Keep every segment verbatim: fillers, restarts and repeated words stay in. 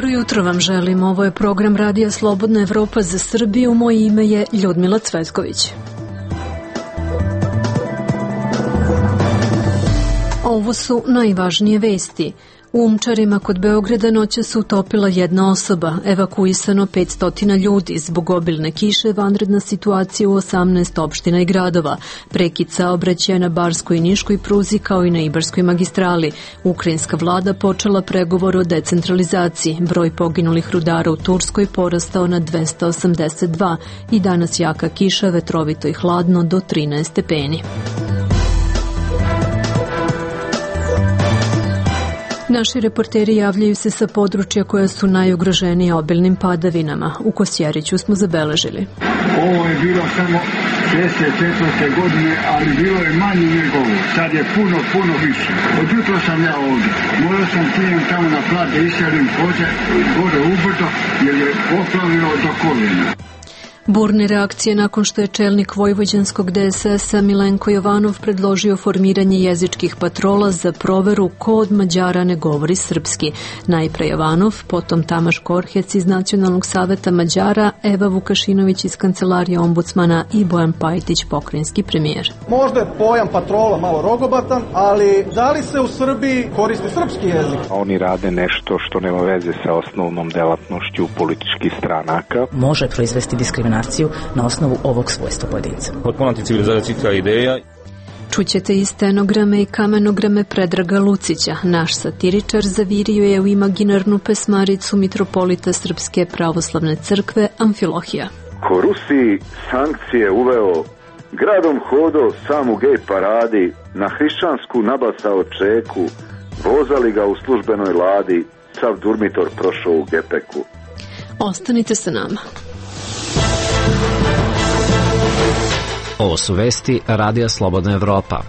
Dobro jutro vam želim. Ovo je program Radija Slobodna Evropa za Srbiju. Moje ime je Ljudmila Cvetković. Ovo su najvažnije vesti. U Umčarima kod Beograda noća se utopila jedna osoba, evakuisano petsto ljudi zbog obilne kiše, vanredna situacija u osamnaest opština i gradova, prekid saobraćaja na Barskoj i Niškoj pruzi kao i na Ibarskoj magistrali. Ukrajinska vlada počela pregovor o decentralizaciji, broj poginulih rudara u Turskoj porastao na dvesta osamdeset dva i danas jaka kiša, vetrovito i hladno do trinaest stepeni. Naši reporteri javljaju se sa područja koja su najugroženija obilnim padavinama. U Kosjeriću smo zabeležili. Ovo je bilo samo šezdeset četvrte godine, ali bilo je manje nego ovo. Sad je puno, puno više. Od jutro sam ja ovdje. Morao sam pijem tamo na plat da iselim koze gore ubrdo, jer je poplavilo do koljena. Burne reakcije nakon što je čelnik vojvođanskog D S S-a Milenko Jovanov predložio formiranje jezičkih patrola za proveru ko od Mađara ne govori srpski. Najpre Jovanov, potom Tamaš Korhec iz Nacionalnog saveta Mađara, Eva Vukašinović iz kancelarije ombudsmana i Bojan Pajtić, pokrajinski premijer. Možda je pojam patrola malo rogobatan, ali da li se u Srbiji koristi srpski jezik? Oni rade nešto što nema veze sa osnovnom delatnošću političkih stranaka. Može proizvesti diskriminaciju na osnovu ovog svojstva pojedinca. Potpuno anticivilizacijska ideja. Čućete i stenograme i kamenograme Predraga Lucića. Naš satiričar zavirio je u imaginarnu pesmaricu mitropolita Srpske pravoslavne crkve Amfilohija. Ko Rusiji sankcije uveo, gradom hodo sam u gej paradi, na hrišćansku nabasao čeku, vozali ga u službenoj ladi, sav durmitor prošao u gepeku. Ostanite sa nama. Ovo su vesti Radija Slobodna Evropa.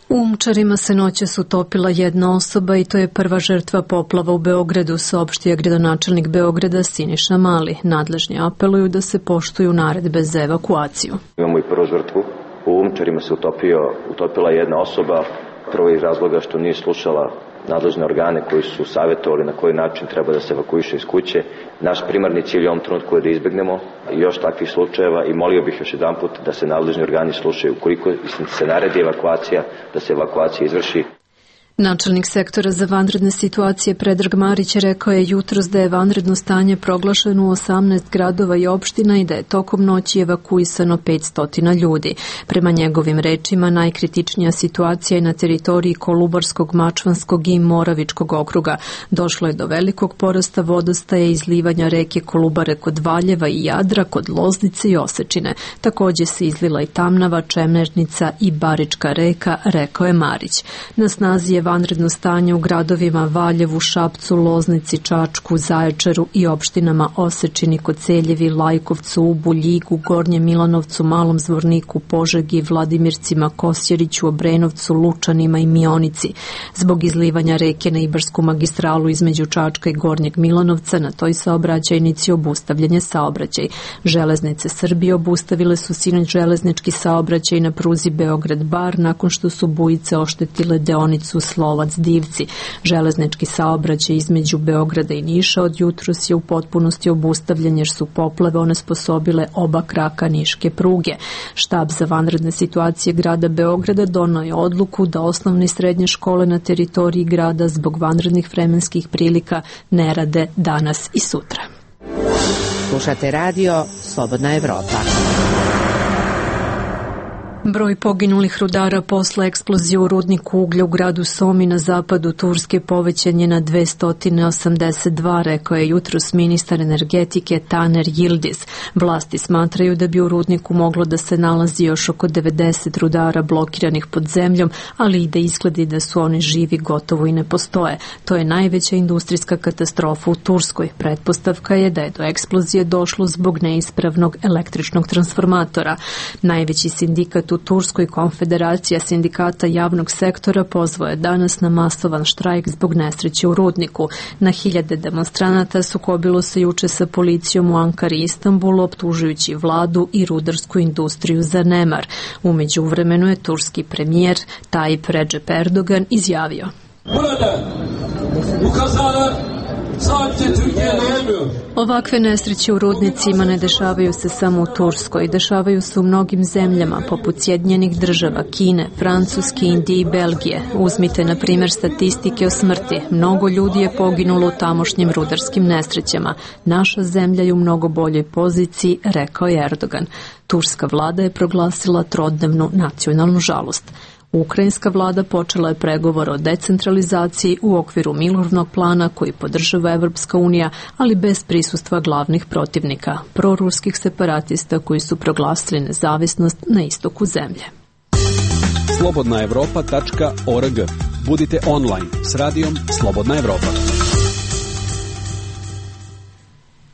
U Umčarima se noćas utopila jedna osoba i to je prva žrtva poplava u Beogradu, saopštio gradonačelnik Beograda Siniša Mali. Nadležni apeluju da se poštuju naredbe za evakuaciju. Imamo i prvu žrtvu. U Umčarima se utopio, utopila jedna osoba, prvo iz razloga što nije slušala nadležne organe koji su savjetovali na koji način treba da se evakuiše iz kuće. Naš primarni cilj u ovom trenutku je da izbegnemo još takvih slučajeva i molio bih još jedan put da se nadležni organi slušaju. Ukoliko se naredi evakuacija, da se evakuacija izvrši. Načelnik sektora za vanredne situacije Predrag Marić rekao je jutros da je vanredno stanje proglašeno u osamnaest gradova i opština i da je tokom noći evakuisano petsto ljudi. Prema njegovim rečima, najkritičnija situacija je na teritoriji Kolubarskog, Mačvanskog i Moravičkog okruga. Došlo je do velikog porasta vodostaja i izlivanja reke Kolubare kod Valjeva i Jadra, kod Loznice i Osečine. Također se izlila i Tamnava, Čemernica i Barička reka, rekao je Marić. Na snazi je vanredno stanje u gradovima Valjevu, Šapcu, Loznici, Čačku, Zaječaru i opštinama Osečini, Koceljevi, Lajkovcu, Ubu, Ljigu, Gornjem Milanovcu, Malom Zvorniku, Požegi, Vladimircima, Kosjeriću, Obrenovcu, Lučanima i Mionici. Zbog izlivanja reke na Ibarsku magistralu između Čačka i Gornjeg Milanovca na toj saobraćajnici obustavljen je saobraćaj. Železnice Srbije obustavile su sinoć železnički saobraćaj na pruzi Beograd-Bar nakon što su bujice oštetile deonicu Slovac-Divci. Železnički saobraćaj između Beograda i Niša od jutros je u potpunosti obustavljen jer su poplave onesposobile oba kraka niške pruge. Štab za vanredne situacije grada Beograda donao je odluku da osnovne i srednje škole na teritoriji grada zbog vanrednih vremenskih prilika ne rade danas i sutra. Slušate radio Slobodna Evropa. Broj poginulih rudara posle eksplozije u rudniku uglja u gradu Somi na zapadu Turske povećan je na dvesta osamdeset dva, rekao je jutros ministar energetike Taner Yildiz. Vlasti smatraju da bi u rudniku moglo da se nalazi još oko devedeset rudara blokiranih pod zemljom, ali i da izgledi da su oni živi gotovo i ne postoje. To je najveća industrijska katastrofa u Turskoj. Pretpostavka je da je do eksplozije došlo zbog neispravnog električnog transformatora. Najveći sindikat u Turskoj, Konfederacija sindikata javnog sektora, pozvao je danas na masovan štrajk zbog nesreće u rudniku. Na hiljade demonstranata sukobilo se juče sa policijom u Ankari i Istanbulu, optužujući vladu i rudarsku industriju za nemar. U međuvremenu je turski premijer Tayyip Recep Erdogan izjavio: Burada Bu kazalar sadece Türkiye'de olmuyor. Ovakve nesreće u rudnicima ne dešavaju se samo u Turskoj, dešavaju se u mnogim zemljama, poput Sjedinjenih država, Kine, Francuske, Indije i Belgije. Uzmite, na primjer, statistike o smrti. Mnogo ljudi je poginulo u tamošnjim rudarskim nesrećama. Naša zemlja je u mnogo boljoj poziciji, rekao je Erdogan. Turska vlada je proglasila trodnevnu nacionalnu žalost. Ukrajinska vlada počela je pregovor o decentralizaciji u okviru mirovnog plana koji podržava Evropska unija, ali bez prisustva glavnih protivnika, proruskih separatista koji su proglasili nezavisnost na istoku zemlje. slobodna evropa tačka org. Budite online s radijom Slobodna Evropa.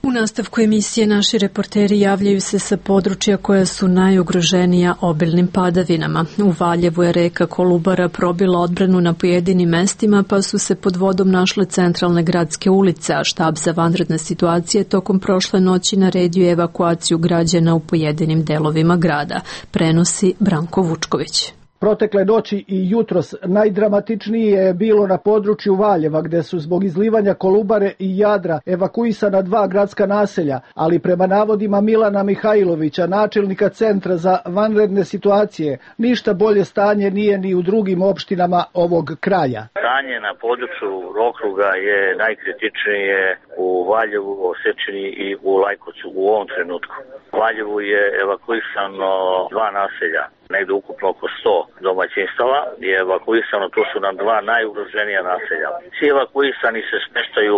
U nastavku emisije naši reporteri javljaju se sa područja koja su najugroženija obilnim padavinama. U Valjevu je reka Kolubara probila odbranu na pojedinim mestima, pa su se pod vodom našle centralne gradske ulice, a štab za vanredne situacije tokom prošle noći naredio evakuaciju građana u pojedinim delovima grada, prenosi Branko Vučković. Protekle noći i jutros najdramatičnije je bilo na području Valjeva, gde su zbog izlivanja Kolubare i Jadra evakuisana dva gradska naselja, ali prema navodima Milana Mihajlovića, načelnika Centra za vanredne situacije, ništa bolje stanje nije ni u drugim opštinama ovog kraja. Stanje na području okruga je najkritičnije u Valjevu, Osečini i u Lajkovcu u ovom trenutku. U Valjevu je evakuisano dva naselja, negde ukupno oko sto domaćinstava je evakuisano, to su nam dva najugroženija naselja. Svi evakuisani se smeštaju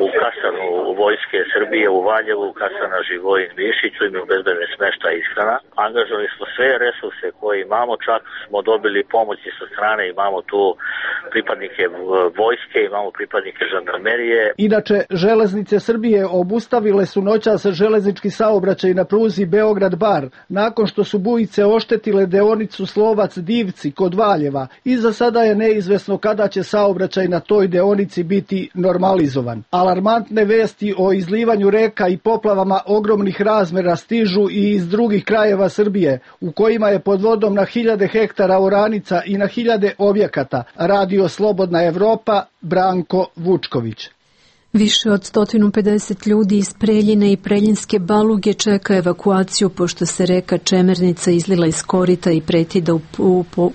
u kasarnu Vojske Srbije u Valjevu, kasarna Živojin Višiću, imaju bezbedne smešta i ishrana. Angažovali smo sve resurse koje imamo, čak smo dobili pomoći sa strane, imamo tu pripadnike vojske, imamo pripadnike žandarmerije. Inače, železnice Srbije obustavile su noćas železnički saobraćaj na pruzi Beograd-Bar, nakon što su bujice oštetile deonicu Slovac-Divci kod Valjeva i za sada je neizvesno kada će saobraćaj na toj deonici biti normalizovan. Alarmantne vesti o izlivanju reka i poplavama ogromnih razmera stižu i iz drugih krajeva Srbije, u kojima je pod vodom na hiljade hektara oranica i na hiljade objekata. Radio Slobodna Evropa, Branko Vučković. Više od sto pedeset ljudi iz Preljine i Preljinske Baluge čeka evakuaciju pošto se reka Čemernica izlila iz korita i preti da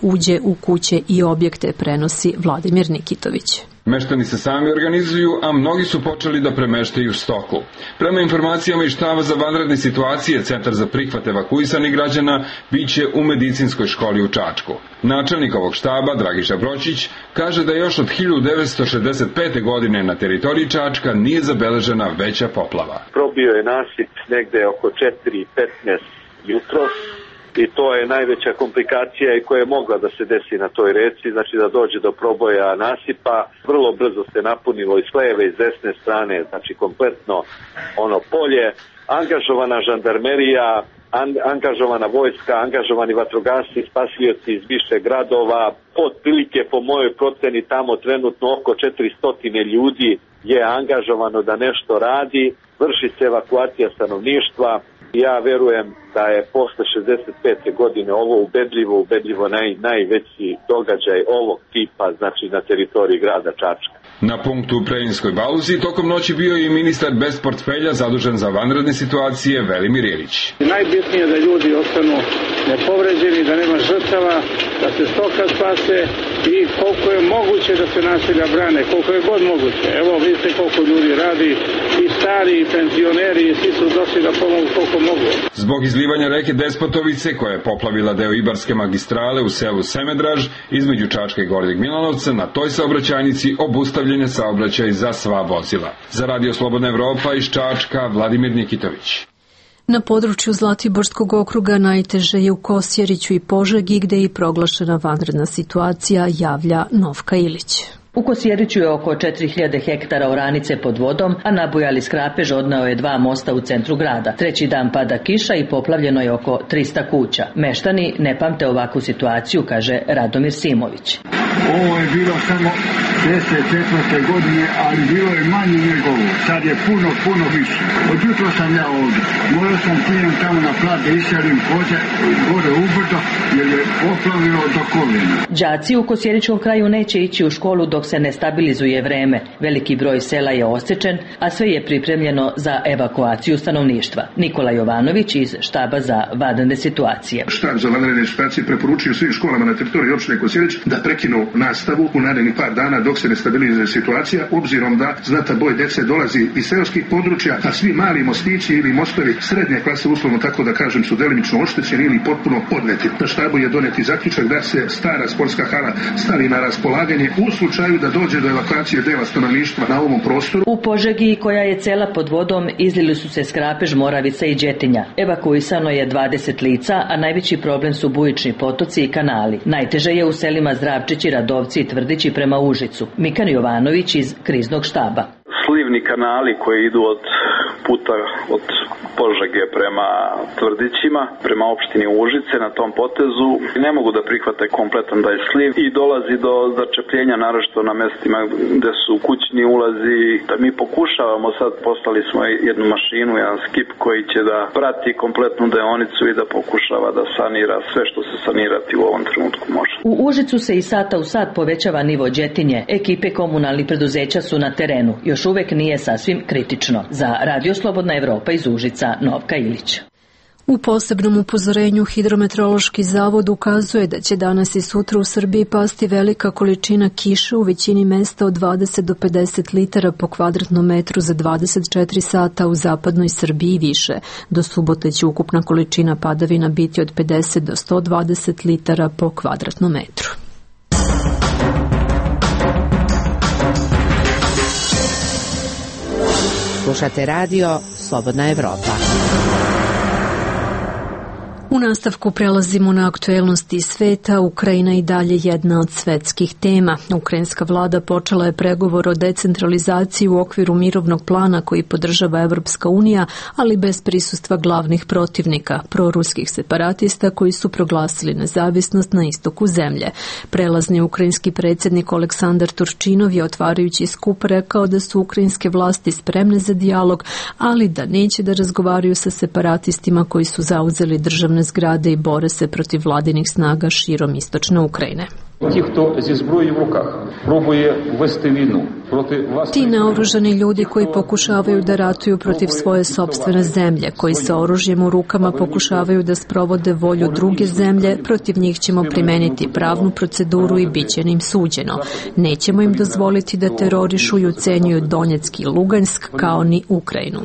uđe u kuće i objekte, prenosi Vladimir Nikitović. Meštani se sami organizuju, a mnogi su počeli da premeštaju stoku. Prema informacijama iz štaba za vanredne situacije, Centar za prihvat evakuisanih građana biće u medicinskoj školi u Čačku. Načelnik ovog štaba, Dragiša Bročić, kaže da još od hiljadu devetsto šezdeset pete. godine na teritoriji Čačka nije zabeležena veća poplava. Probio je nasip negde oko četiri petnaest jutros. I to je najveća komplikacija i koja je mogla da se desi na toj reci, znači da dođe do proboja nasipa. Vrlo brzo se napunilo i s leve i s desne strane, znači kompletno ono polje. Angažovana žandarmerija, an, angažovana vojska, angažovani vatrogasci, spasioci iz više gradova. Otprilike po mojoj proceni tamo trenutno oko četiristo ljudi je angažovano da nešto radi. Vrši se evakuacija stanovništva. Ja verujem da je posle šezdeset pete. godine ovo ubedljivo, ubedljivo naj, najveći događaj ovog tipa, znači na teritoriji grada Čačka. Na punktu u Preljinskoj Baluzi tokom noći bio je i ministar bez portfelja zadužen za vanredne situacije Velimir Ilić. Najbitnije je da ljudi ostanu nepovređeni, da nema žrtava, da se stoka spase i koliko je moguće da se naselja brane, koliko je god moguće. Evo vidite koliko ljudi radi, i stari, i penzioneri, i svi su došli da pomogu koliko mogu. Zbog izlivanja reke Despotovice, koja je poplavila deo Ibarske magistrale u selu Semedraž, između Čačka i Gornjeg Milanovca, na toj saobraćajnici obustavljen je saobraćaj za sva vozila. Za Radio Slobodna Evropa iz Čačka, Vladimir Nikitović. Na području Zlatiborskog okruga najteže je u Kosjeriću i Požegi, gde je i proglašena vanredna situacija, javlja Novka Ilić. U Kosjeriću je oko četiri hiljade hektara oranice pod vodom, a nabujali skrapež odneo je dva mosta u centru grada. Treći dan pada kiša i poplavljeno je oko trista kuća. Meštani ne pamte ovakvu situaciju, kaže Radomir Simović. Ovo je bilo samo šezdeset četvrte godine, ali bilo je manje njegovo. Sad je puno, puno više. Od jutro sam ja ovdje. Morao sam pijem tamo na plat da iselim koze gore ubrdo, jer je poplavilo do koljena. Đaci u Kosjeričkom kraju neće ići u školu dok se ne stabilizuje vreme. Veliki broj sela je osečen, a sve je pripremljeno za evakuaciju stanovništva. Nikola Jovanović iz štaba za vanredne situacije. Štab za vanredne situacije preporučio svim školama na teritoriji opštine Kosjerić da prekinu nastavu u narednih par dana dok se ne stabilizuje situacija, obzirom da znatan broj dece dolazi iz seoskih područja, a svi mali mostići ili mostovi srednje klase, uslovno tako da kažem, su delimično oštećeni ili potpuno odneti. Na štabu je doneti zaključak da se stara sportska hala stavi na raspolaganje u slučaju da dođe do evakuacije dela stanovništva na ovom prostoru. U Požegi, koja je cela pod vodom, izlili su se Skrapež, Moravica i Đetinja. Evakuisano je dvadeset lica, a najveći problem su bujični potoci i kanali. Najteže je u selima Zdravčići, Radovci i Tvrdići prema Užicu. Mikan Jovanović iz kriznog štaba. Slivni kanali koji idu od puta od Požege prema Tvrdićima, prema opštini Užice na tom potezu ne mogu da prihvate kompletan taj sliv i dolazi do začepljenja, naročito na mestima gde su kućni ulazi. Da mi pokušavamo sad, poslali smo jednu mašinu, jedan skip koji će da prati kompletnu deonicu i da pokušava da sanira sve što se sanirati u ovom trenutku može. U Užicu se i sata u sat povećava nivo Đetinje. Ekipe komunalnih preduzeća su na terenu. Još uvek nije sasvim kritično. Za Radio Slobodna Evropa iz Užica, Novka Ilić. U posebnom upozorenju Hidrometeorološki zavod ukazuje da će danas i sutra u Srbiji pasti velika količina kiše u većini mesta od dvadeset do pedeset litara po kvadratnom metru za dvadeset četiri sata, u zapadnoj Srbiji više. Do subote će ukupna količina padavina biti od pedeset do sto dvadeset litara po kvadratnom metru. Slušate radio Slobodna Evropa. U nastavku prelazimo na aktuelnosti sveta. Ukrajina i dalje jedna od svetskih tema. Ukrajinska vlada počela je pregovor o decentralizaciji u okviru mirovnog plana koji podržava Evropska unija, ali bez prisustva glavnih protivnika, proruskih separatista koji su proglasili nezavisnost na istoku zemlje. Prelazni ukrajinski predsjednik Aleksandar Turčinov je otvarajući skup rekao da su ukrajinske vlasti spremne za dijalog, ali da neće da razgovaraju sa separatistima koji su zauzeli državne zgrade i bore se protiv vladinih snaga širom istočne Ukrajine. Ti naoružani ljudi koji pokušavaju da ratuju protiv svoje sopstvene zemlje, koji sa oružjem u rukama pokušavaju da sprovode volju druge zemlje, protiv njih ćemo primeniti pravnu proceduru i bit će im suđeno. Nećemo im dozvoliti da terorišu i ucenjuju Donjeck i Lugansk kao ni Ukrajinu.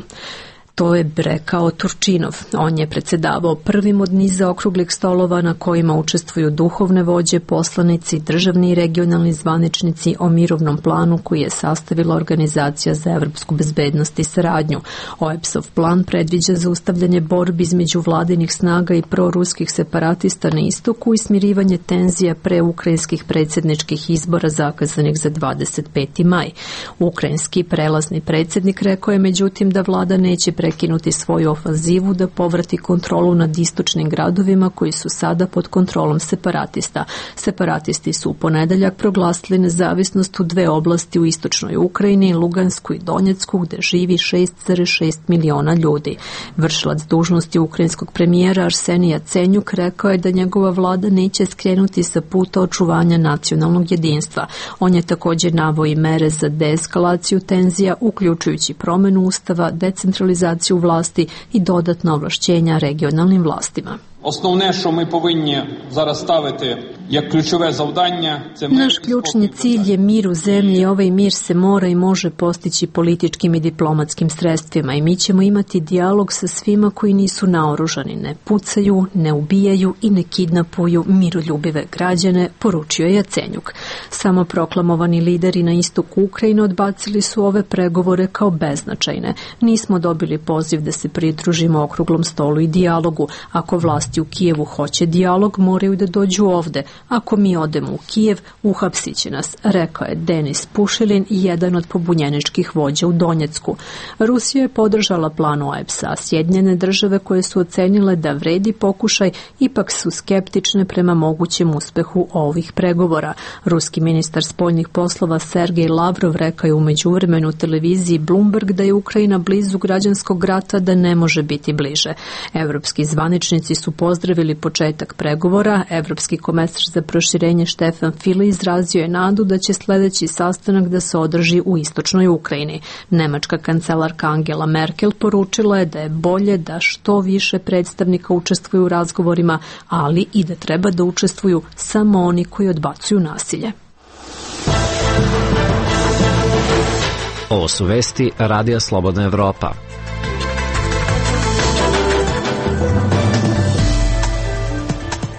To je rekao Turčinov. On je predsjedavao prvim od niza okruglih stolova na kojima učestvuju duhovne vođe, poslanici, državni i regionalni zvaničnici o mirovnom planu koji je sastavila Organizacija za evropsku bezbednost i saradnju. O E P S-ov plan predviđa zaustavljanje borbi između vladinih snaga i proruskih separatista na istoku i smirivanje tenzija pre ukrajinskih predsjedničkih izbora zakazanih za dvadeset peti maj. Ukrajinski prelazni predsjednik rekao je međutim da vlada neće prekinuti svoju ofanzivu da povrati kontrolu nad istočnim gradovima koji su sada pod kontrolom separatista. Separatisti su u ponedeljak proglasili nezavisnost u dve oblasti u istočnoj Ukrajini, Lugansku i Donjecku, gde živi šest zarez šest miliona ljudi. Vršilac dužnosti ukrajinskog premijera Arsenija Cenjuk rekao je da njegova vlada neće skrenuti sa puta očuvanja nacionalnog jedinstva. On je također naveo i mere za deeskalaciju tenzija, uključujući promenu ustava, decentralizaciju vlasti i dodatna ovlašćenja regionalnim vlastima. Основне, що ми повинні зараз ставити як ключове завдання, це мир. Naš ključni cilj je mir u zemlji. Ovaj mir se mora i može postići političkim i diplomatskim sredstvima i mi ćemo imati dijalog sa svima koji nisu naoružani, ne pucaju, ne ubijaju i ne kidnapuju miroljubive građane, poručio je Jacenjuk. Samo proklamovani lideri na istoku Ukrajine odbacili su ove pregovore kao beznačajne. Nismo dobili poziv da se pridružimo okruglom stolu i dijalogu. Ako vlast u Kijevu hoće dijalog, moraju da dođu ovde. ako mi odemo u Kijev, uhapsit će nas, rekao je Denis Pušilin, jedan od pobunjeničkih vođa u Donjecku. Rusija je podržala plan O E P S-a, a Sjedinjene države koje su ocenile da vredi pokušaj, ipak su skeptične prema mogućem uspehu ovih pregovora. Ruski ministar spoljnih poslova Sergej Lavrov rekao je u međuvremenu televiziji Bloomberg da je Ukrajina blizu građanskog rata, da ne može biti bliže. Evropski zvaničnici su pozdravili početak pregovora. Evropski komesar za proširenje Štefan File izrazio je nadu da će sljedeći sastanak da se održi u istočnoj Ukrajini. Nemačka kancelarka Angela Merkel poručila je da je bolje da što više predstavnika učestvuju u razgovorima, ali i da treba da učestvuju samo oni koji odbacuju nasilje. Ovo su vesti Radija Slobodna Evropa.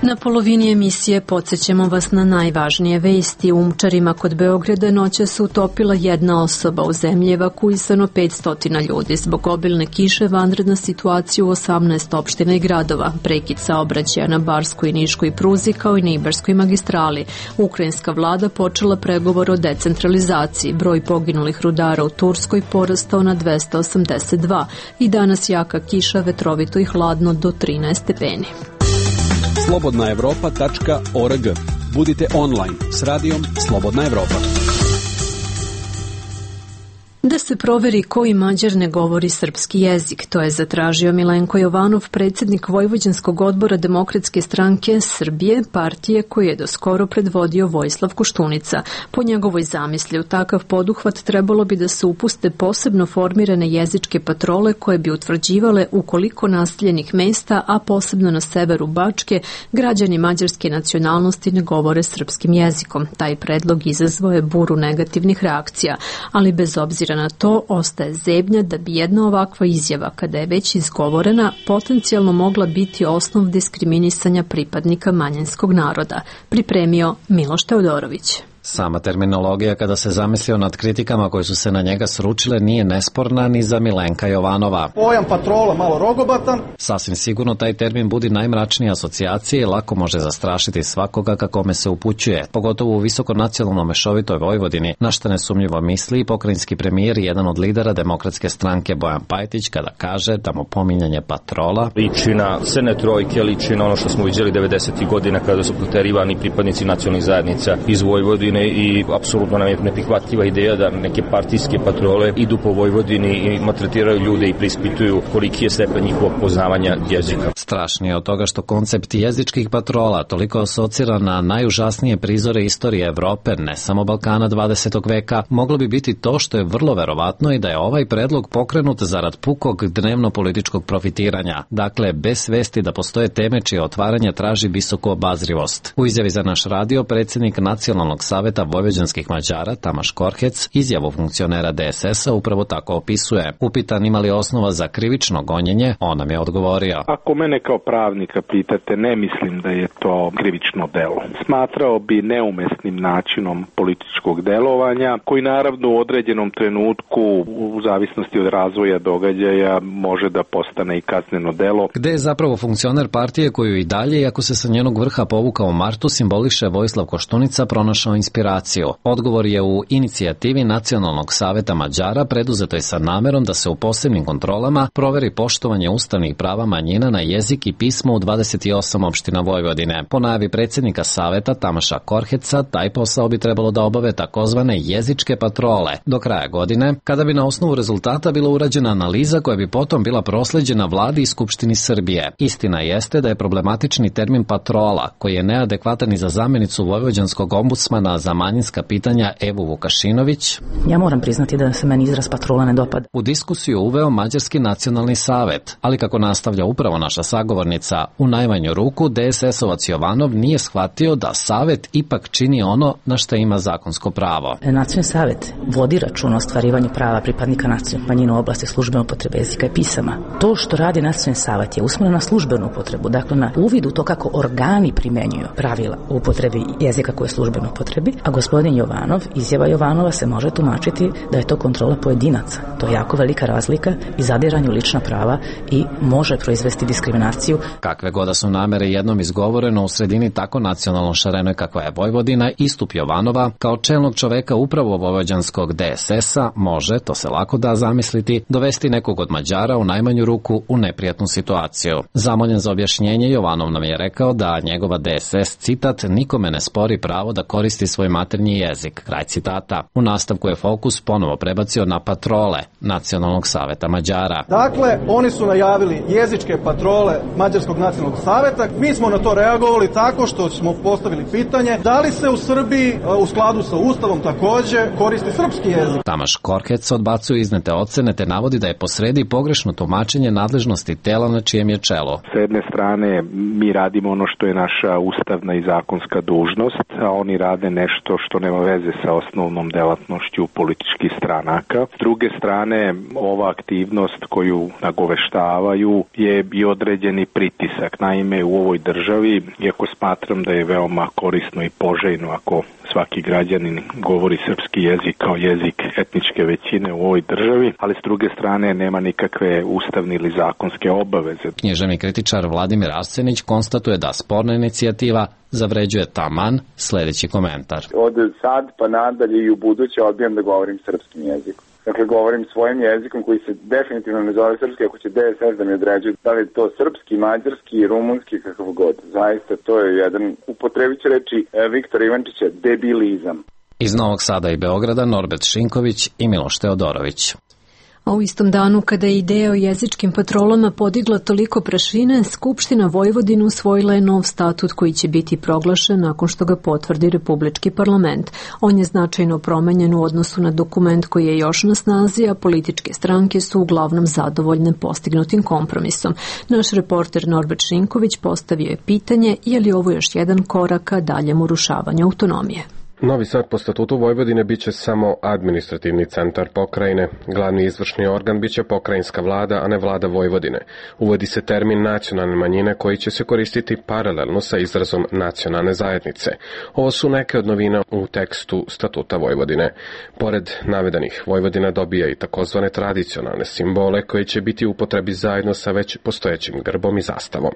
Na polovini emisije podsjećamo vas na najvažnije vesti. U Umčarima kod Beograda noća se utopila jedna osoba, u zemlji evakuisano petsto ljudi. Zbog obilne kiše vanredna situacija u osamnaest opština i gradova. Prekid saobraćaja na Barskoj i Niškoj pruzi kao i na Ibarskoj magistrali. Ukrajinska vlada počela pregovor o decentralizaciji. Broj poginulih rudara u Turskoj porastao na dvesta osamdeset dva. I danas jaka kiša, vetrovito i hladno do trinaest stepeni. slobodna evropa tačka org. Budite online s radijom Slobodna Evropa. Da se proveri koji Mađar ne govori srpski jezik. To je zatražio Milenko Jovanov, predsjednik Vojvođanskog odbora Demokratske stranke Srbije, partije koju je doskoro predvodio Vojislav Koštunica. Po njegovoj zamisli u takav poduhvat trebalo bi da se upuste posebno formirane jezičke patrole koje bi utvrđivale u koliko naseljenih mesta, a posebno na severu Bačke, građani mađarske nacionalnosti ne govore srpskim jezikom. Taj predlog izazvao je buru negativnih reakcija, ali bez obzira na to ostaje zebnja da bi jedna ovakva izjava, kada je već izgovorena, potencijalno mogla biti osnov diskriminisanja pripadnika manjinskog naroda. Pripremio Miloš Teodorović. Sama terminologija, kada se zamislio nad kritikama koje su se na njega sručile, nije nesporna ni za Milenka Jovanova. Pojam patrola malo rogobatan. Sasvim sigurno taj termin budi najmračnije asocijacije i lako može zastrašiti svakoga ka kome se upućuje, pogotovo u visokonacionalno mešovitoj Vojvodini, na što nesumnjivo misli i pokrajinski premijer i jedan od lidera Demokratske stranke Bojan Pajtić kada kaže da mu pominjanje patrola liči na crne trojke, liči na ono što smo vidjeli devedesetih godina kada su proterivani pripadnici nacionalnih zajednica iz Vojvodine, i apsolutno nam je neprihvatljiva ideja da neke partijske patrole idu po Vojvodini i maltretiraju ljude i preispituju koliki je stepen njihovog poznavanja jezika. Strašnije od toga što koncept jezičkih patrola toliko asocira na najužasnije prizore istorije Evrope, ne samo Balkana dvadesetog veka, moglo bi biti to što je vrlo verovatno i da je ovaj predlog pokrenut zarad pukog dnevno političkog profitiranja. Dakle, bez svesti da postoje teme čije otvaranje traži visoku obazrivost. U izjavi za naš radio predsjednik Nacionalnog saveta vojvođanskih Mađara Tamaš Korhec izjavu funkcionera D S S-a upravo tako opisuje. Upitan ima li osnova za krivično gonjenje, on nam je odgovorio. Ako mene kao pravnika pitate, ne mislim da je to krivično delo. Smatrao bi neumesnim načinom političkog delovanja, koji naravno u određenom trenutku, u zavisnosti od razvoja događaja, može da postane i kazneno delo. Gde je zapravo funkcioner partije koju i dalje, iako se sa njenog vrha povukao u martu, simboliše Vojislav Koštunica, pronašao inspiraciju? Odgovor je u inicijativi Nacionalnog saveta Mađara preduzetoj sa namerom da se u posebnim kontrolama proveri poštovanje ustavnih prava manjina na jezik i pismo u dvadeset osam opština Vojvodine. Po najavi predsjednika saveta Tamaša Korheca, taj posao bi trebalo da obave takozvane jezičke patrole do kraja godine, kada bi na osnovu rezultata bila urađena analiza koja bi potom bila prosleđena vladi i Skupštini Srbije. Istina jeste da je problematični termin patrola, koji je neadekvatan i za zamjenicu vojvođanskog ombudsmana za manjinska pitanja Evu Vukašinović. Ja moram priznati da se meni izraz patrola ne dopada. U diskusiju uveo Mađarski nacionalni savet, ali kako nastavlja upravo naša sagovornica, u najmanju ruku D S S-ovac Jovanov nije shvatio da savet ipak čini ono na što ima zakonsko pravo. Nacionalni savet vodi račun o ostvarivanju prava pripadnika nacionalnih manjina u oblasti službene upotrebe jezika i pisama. To što radi nacionalni savet je usmjereno na službenu upotrebu, dakle na uvid u to kako organi primenjuju pravila u upotrebi jezika koje je službeno upotrebi, a gospodin Jovanov, izjava Jovanova se može tumačiti da je to kontrola pojedinaca. To je jako velika razlika i zadiranje u lična prava i može proizvesti diskriminaciju. Kakve god su namere jednom izgovoreno u sredini tako nacionalno šarenoj kakva je Vojvodina, istup Jovanova kao čelnog čoveka upravo vojvođanskog D S S-a može, to se lako da zamisliti, dovesti nekog od Mađara u najmanju ruku u neprijatnu situaciju. Zamoljen za objašnjenje, Jovanov nam je rekao da njegova D S S, citat, nikome ne spori pravo da koristi svoj maternji jezik, kraj citata. U nastavku je fokus ponovo prebacio na patrole Nacionalnog saveta Mađara. Dakle, oni su najavili jezičke patrole Mađarskog nacionalnog saveta. Mi smo na to reagovali tako što smo postavili pitanje da li se u Srbiji u skladu sa Ustavom takođe koristi srpski jezik. Tamaš Korhec odbacuje iznete ocene te navodi da je posredi pogrešno tumačenje nadležnosti tela na čijem je čelo. S jedne strane mi radimo ono što je naša ustavna i zakonska dužnost, a oni rade nešto što nema veze sa osnovnom delatnošću političkih stranaka. S druge strane, ova aktivnost koju nagoveštavaju je i određeni pritisak. Naime, u ovoj državi, iako smatram da je veoma korisno i poželjno ako svaki građanin govori srpski jezik kao jezik etničke većine u ovoj državi, ali s druge strane nema nikakve ustavne ili zakonske obaveze. Književni kritičar Vladimir Arsenić konstatuje da sporna inicijativa zavređuje taman sledeći komentar. Od sad pa nadalje i u buduće odbijam da govorim srpskim jezikom. Dakle, govorim svojim jezikom koji se definitivno ne zove srpski, ako će D S S da mi određuje da li je to srpski, mađarski, rumunski, kakav god. Zaista, to je jedan, upotrebit ću reći Viktora Ivančića, debilizam. Iz Novog Sada i Beograda Norbert Šinković i Miloš Teodorović. A u istom danu kada je ideja o jezičkim patrolama podigla toliko prašine, Skupština Vojvodine usvojila je nov statut koji će biti proglašen nakon što ga potvrdi Republički parlament. On je značajno promenjen u odnosu na dokument koji je još na snazi, a političke stranke su uglavnom zadovoljne postignutim kompromisom. Naš reporter Norbert Šinković postavio je pitanje je li ovo još jedan korak ka daljem urušavanju autonomije. Novi Sad po statutu Vojvodine biće samo administrativni centar pokrajine. Glavni izvršni organ biće pokrajinska vlada, a ne vlada Vojvodine. Uvodi se termin nacionalne manjine koji će se koristiti paralelno sa izrazom nacionalne zajednice. Ovo su neke od novina u tekstu statuta Vojvodine. Pored navedenih, Vojvodina dobija i takozvane tradicionalne simbole koji će biti u upotrebi zajedno sa već postojećim grbom i zastavom.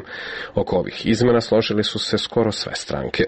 Oko ovih izmena složili su se skoro sve stranke.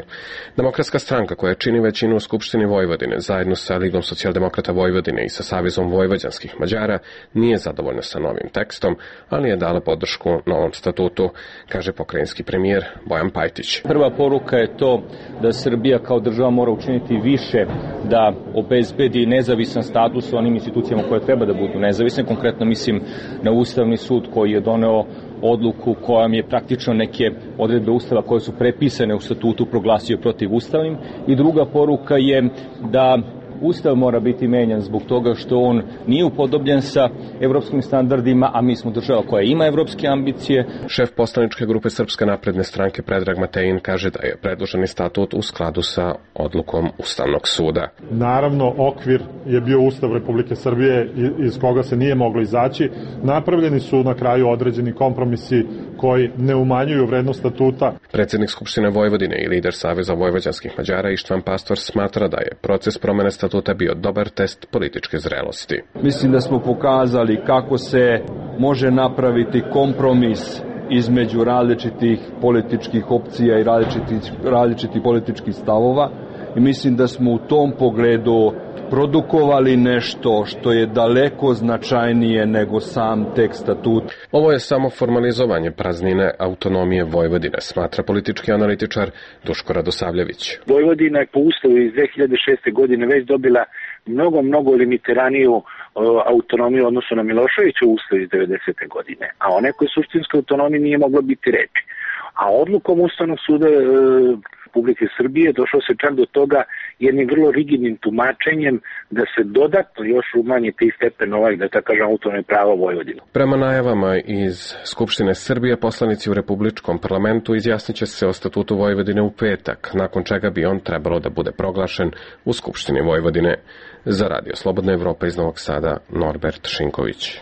Demokratska stranka koja čini većinu u Skupštini Vojvodine, zajedno sa Ligom socijaldemokrata Vojvodine i sa Savezom vojvođanskih Mađara, nije zadovoljna sa novim tekstom, ali je dala podršku novom statutu, kaže pokrajinski premijer Bojan Pajtić. Prva poruka je to da Srbija kao država mora učiniti više da obezbedi nezavisan status onim institucijama koje treba da budu nezavisne. Konkretno mislim na Ustavni sud koji je doneo odluku kojom je praktično neke odredbe Ustava koje su prepisane u statutu proglasio protivustavnim. I druga poruka je da Ustav mora biti menjan zbog toga što on nije upodobljen sa evropskim standardima, a mi smo država koja ima evropske ambicije. Šef poslaničke grupe Srpske napredne stranke Predrag Matejin kaže da je predloženi statut u skladu sa odlukom Ustavnog suda. Naravno, okvir je bio Ustav Republike Srbije iz koga se nije moglo izaći. Napravljeni su na kraju određeni kompromisi koji ne umanjuju vrednost statuta. Predsednik Skupštine Vojvodine i lider Saveza vojvođanskih Mađara Ištvan Pastor smatra da je proces promene statuta bio dobar test političke zrelosti. Mislim da smo pokazali kako se može napraviti kompromis između različitih političkih opcija i različitih, različitih političkih stavova i mislim da smo u tom pogledu produkovali nešto što je daleko značajnije nego sam tekst statuta. Ovo je samo formalizovanje praznine autonomije Vojvodine, smatra politički analitičar Duško Radosavljević. Vojvodina je po ustavu iz dve hiljade šeste. godine već dobila mnogo, mnogo limitiraniju uh, autonomiju odnosno na Miloševiću ustav iz devedesete. godine, a o nekoj suštinskoj autonomiji nije moglo biti reči. A odlukom Ustavnog suda uh, Republike Srbije došlo se čak do toga jednim vrlo rigidnim tumačenjem da se dodatno još umanji taj stepen ovaj, da tako kažem, autonomne prava Vojvodine. Prema najavama iz Skupštine Srbije, poslanici u Republičkom parlamentu izjasnit će se o statutu Vojvodine u petak, nakon čega bi on trebalo da bude proglašen u Skupštini Vojvodine. Za Radio Slobodna Evropa iz Novog Sada, Norbert Šinković.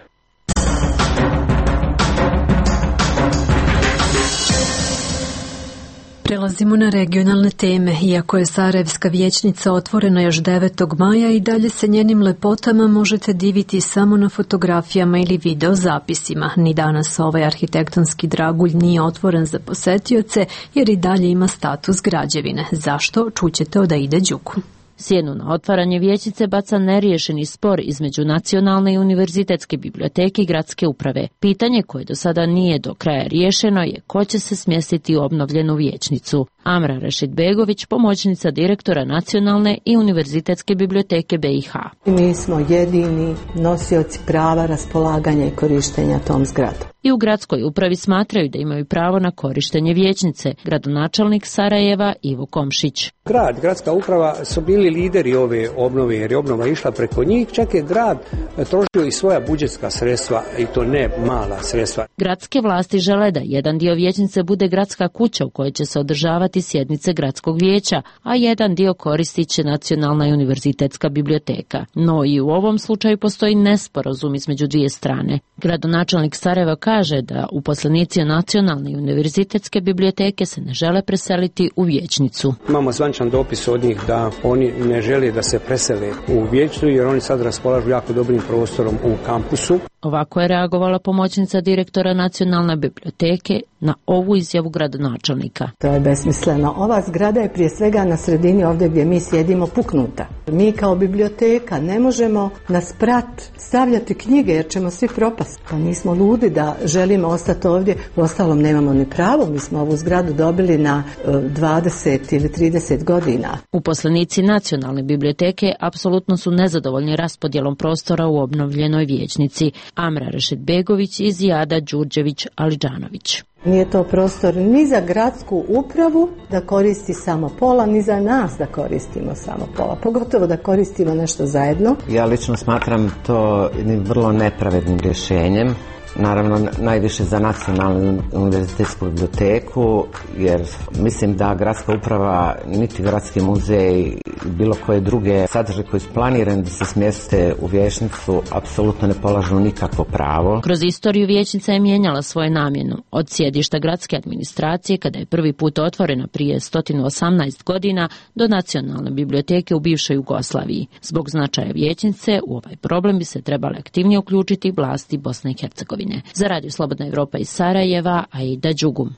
Prelazimo na regionalne teme. Iako je Sarajevska vijećnica otvorena još devetog maja i dalje se njenim lepotama možete diviti samo na fotografijama ili video zapisima. Ni danas ovaj arhitektonski dragulj nije otvoren za posetioce jer i dalje ima status građevine. Zašto? Čućete od Aide Đuku. Sjenu na otvaranje vijećnice baca neriješeni spor između Nacionalne i Univerzitetske biblioteke i gradske uprave. Pitanje koje do sada nije do kraja riješeno je ko će se smjestiti u obnovljenu vijećnicu. Amra Rešidbegović, pomoćnica direktora Nacionalne i Univerzitetske biblioteke B i H. Mi smo jedini nosioci prava raspolaganja i korištenja tom zgradom. I u gradskoj upravi smatraju da imaju pravo na korištenje vijećnice, gradonačelnik Sarajeva Ivo Komšić. Grad, gradska uprava su bili lideri ove obnove jer je obnova išla preko njih, čak je grad trošio i svoja budžetska sredstva i to ne mala sredstva. Gradske vlasti žele da jedan dio vijećnice bude gradska kuća u kojoj će se održavati sjednice gradskog vijeća, a jedan dio koristit će Nacionalna i Univerzitetska biblioteka. No i u ovom slučaju postoji nesporazum između dvije strane. Gradonačelnik Sarajeva kaže da uposlenici Nacionalne i Univerzitetske biblioteke se ne žele preseliti u vijećnicu. Imamo zvančan dopis od njih da oni ne žele da se presele u vijećnicu jer oni sad raspolažu jako dobrim prostorom u kampusu. Ovako je reagovala pomoćnica direktora Nacionalne biblioteke na ovu izjavu gradonačelnika. To je besmisleno. Ova zgrada je prije svega na sredini ovdje gdje mi sjedimo puknuta. Mi kao biblioteka ne možemo na sprat stavljati knjige jer ćemo svi propasti. Pa nismo ludi da želimo ostati ovdje. U ostalom nemamo ni pravo. Mi smo ovu zgradu dobili na dvadeset ili trideset godina. Uposlenici Nacionalne biblioteke apsolutno su nezadovoljni raspodjelom prostora u obnovljenoj vijećnici. Amra Rešidbegović i Zijada Đurđević-Alidžanović. Nije to prostor ni za gradsku upravu da koristi samo pola, ni za nas da koristimo samo pola. Pogotovo da koristimo nešto zajedno. Ja lično smatram to jednim vrlo nepravednim rješenjem. Naravno, najviše za Nacionalnu univerzitetsku biblioteku, jer mislim da gradska uprava, niti gradski muzej, bilo koje druge sadržaje koji su planirani da se smjeste u vijećnicu, apsolutno ne polažu nikakvo pravo. Kroz istoriju vijećnica je mijenjala svoju namjenu. Od sjedišta gradske administracije, kada je prvi put otvorena prije sto osamnaest godina, do Nacionalne biblioteke u bivšoj Jugoslaviji. Zbog značaja vijećnice, u ovaj problem bi se trebale aktivnije uključiti vlasti Bosne i Hercegovine. Za Radio Slobodna Evropa iz Sarajeva, Aida Đugum.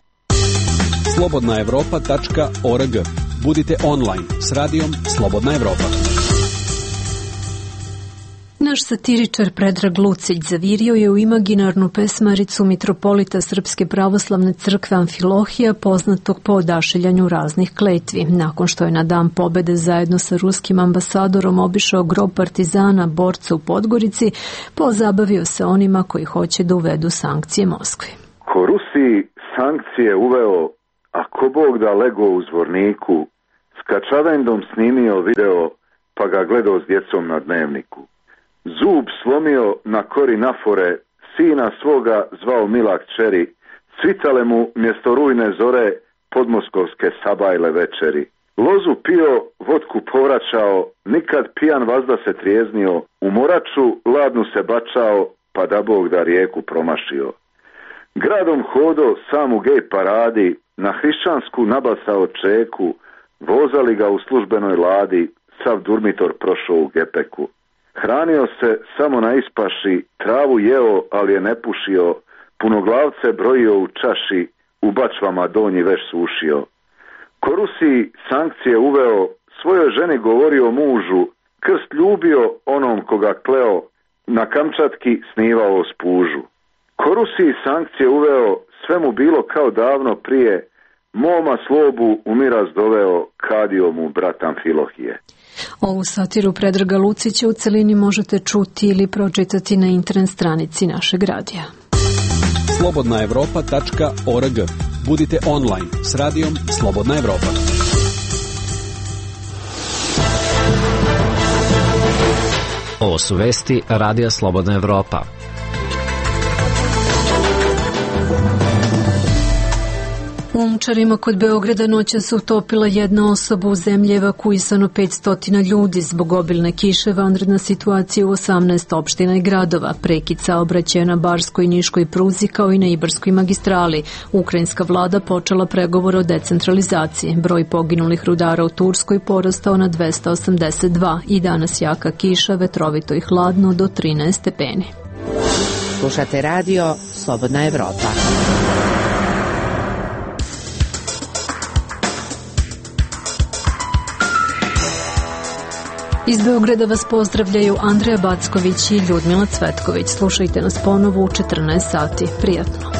slobodna evropa tačka org. Budite online s radijom Slobodna Evropa. Naš satiričar Predrag Lucić zavirio je u imaginarnu pesmaricu mitropolita Srpske pravoslavne crkve Amfilohija, poznatog po odašiljanju raznih kletvi. Nakon što je na dan pobede zajedno sa ruskim ambasadorom obišao grob partizana, borca u Podgorici, pozabavio se onima koji hoće da uvedu sankcije Moskvi. Ko Rusiji sankcije uveo, a ko Bog da lego u zvorniku, s kačavendom snimio video, pa ga gledao s djecom na dnevniku. Zub slomio na kori nafore, sina svoga zvao mila kćeri, svitale mu mjesto rujne zore podmoskovske sabajle večeri. Lozu pio, vodku povraćao, nikad pijan vazda se trijeznio, u moraču ladnu se bačao, pa da Bog da rijeku promašio. Gradom hodo sam u gej paradi, na hrišćansku nabasao čeku, vozali ga u službenoj ladi, sav durmitor prošao u gepeku. Hranio se samo na ispaši, travu jeo, ali je ne pušio, punoglavce brojio u čaši, u bačvama donji veš sušio. Ko Rusiji sankcije uveo, svojoj ženi govorio mužu, krst ljubio onom koga kleo, na Kamčatki snivao spužu. Ko Rusiji sankcije uveo, sve mu bilo kao davno prije, moma slobu u miraz doveo, kadio mu brat Amfilohije. Ovu satiru Predraga Lucića u celini možete čuti ili pročitati na internet stranici našeg radija. slobodna evropa tačka org. Budite online s radijom Slobodna Evropa. Ovo su vesti Radija Slobodna Evropa. U Umčarima kod Beograda noća se utopila jedna osoba, u zemlji evakuisano petsto ljudi zbog obilne kiše, vanredna situacija u osamnaest opština i gradova, prekid saobraćaja na Barskoj i Niškoj pruzi kao i na Ibarskoj magistrali. Ukrajinska vlada počela pregovore o decentralizaciji. Broj poginulih rudara u Turskoj porastao na dvesta osamdeset dva i danas jaka kiša, vetrovito i hladno do trinaest stepeni. Slušate radio Slobodna Evropa. Iz Beograda vas pozdravljaju Andreja Backović i Ljudmila Cvetković. Slušajte nas ponovo u četrnaest sati. Prijatno.